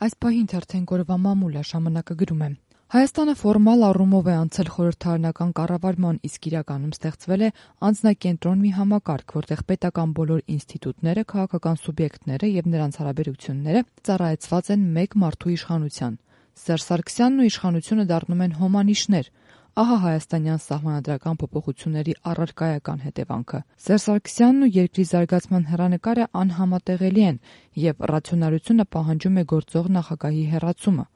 Այս պահին թերթեն օրվա մամուլ է, ժամանակը գրում է. Հայաստանը ֆորմալ առումով է անցել խորհրդարանական կառավարման, իսկ իրականում ստեղծվել է անձնակենտրոն մի համակարգ, որտեղ պետական բոլոր ինստիտուտները, քաղաքական սուբյեկտները եւ նրանց հարաբերությունները ծառայեցված են մեկ մարդու իշխանության։ Սերժ Սարգսյանն ու իշխանությունը դառնում են հոմանիշներ։ Ահա հայաստանյան սահմանադրական փոփոխությունների առարկայական հետևանքը։ Սերժ Սարգսյանն ու երկրի զարգացման հեռանկարը անհամատեղելի են, եւ ռացիոնալությունը պահանջում է գործող նախագահի հեռացումը։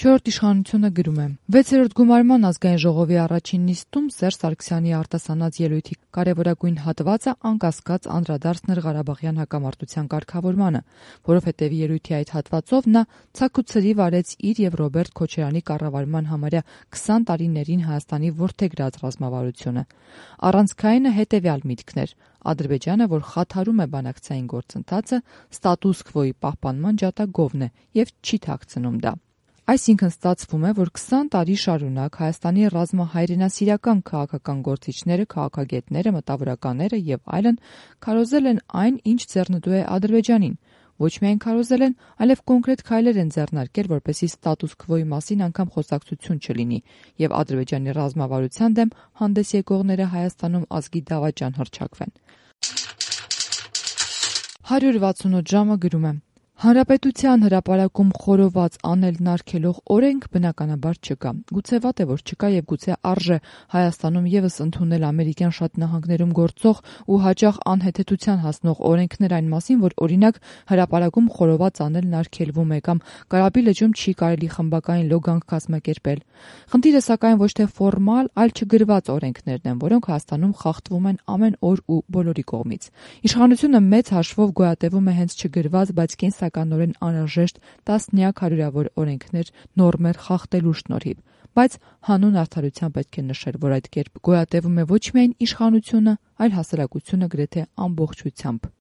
Չորրորդ իշխանությունը գրում է. 6-րդ գումարման ազգային ժողովի առաջին նիստում Սերժ Սարգսյանի արտասանած ելույթի կարևորագույն հատվածը անկասկած անդրադարձն էր Ղարաբաղյան հակամարտության կարգավորմանը, որովհետև ելույթի այդ հատվածով նա ցաքուցրիվ արեց իր եւ Ռոբերտ Քոչարյանի կառավարման համարյա 20 տարիներին Հայաստանի որդեգրած ռազմավարությունը։ Առանցքայինը հետևյալ միտքն էր. Ադրբեջանը, որ խաթարում է բանակցային գործընթացը, ստատուս քվոյի պահպանման ջատագովն է եւ չի թաքցնում դա։ Այսինքն ստացվում է, որ 20 տարի շարունակ Հայաստանի ռազմահայրենասիրական քաղաքական գործիչները, քաղաքագետները, մտավորականները եւ այլն քարոզել են այն, ինչ ձեռնտու է Ադրբեջանին։ Ոչ միայն քարոզել են, այլև կոնկրետ քայլեր են ձեռնարկել, որպեսզի ստատուս քվոյի մասին անգամ խոսակցություն չլինի եւ Ադրբեջանի ռազմավարության դեմ հանդես եկողները Հայաստանում ազգի դավաճան հռչակվեն։ 168 ժամը գրում է. Հանրապետության հրապարակում խորոված անելն արգելող օրենք բնականաբար չկա։ Գուցե վատ է, որ չկա եւ գուցե արժե Հայաստանում եւս ընդունել ամերիկյան շատ նահանգներում գործող ու հաճախ անհեթեթության հասնող օրենքներ այն մասին, որ օրինակ հրապարակում խորոված անելն արգելվում է կամ Կարապի լճում չի կարելի խմբակային լոգանք կազմակերպել։ Խնդիրը սակայն ոչ թե ֆորմալ, այլ չգրված օրենքներն են, որոնք Հայաստանում խախտվում են ամեն օր ու բոլորի կողմից։ Իշխանությունը մեծ հաշվով գոյատևում է հենց չգրված, բայց կենսականորեն անհրաժեշտ տասնյակ հարյուրավոր օրենքներ, նորմեր խախտելու շնորհիվ, բայց հանուն արդարության պետք է նշել, որ այդ կերպ գոյատևում է ոչ միայն իշխանությունը, այլ հասարակությունը գրեթե ամբողջությամբ։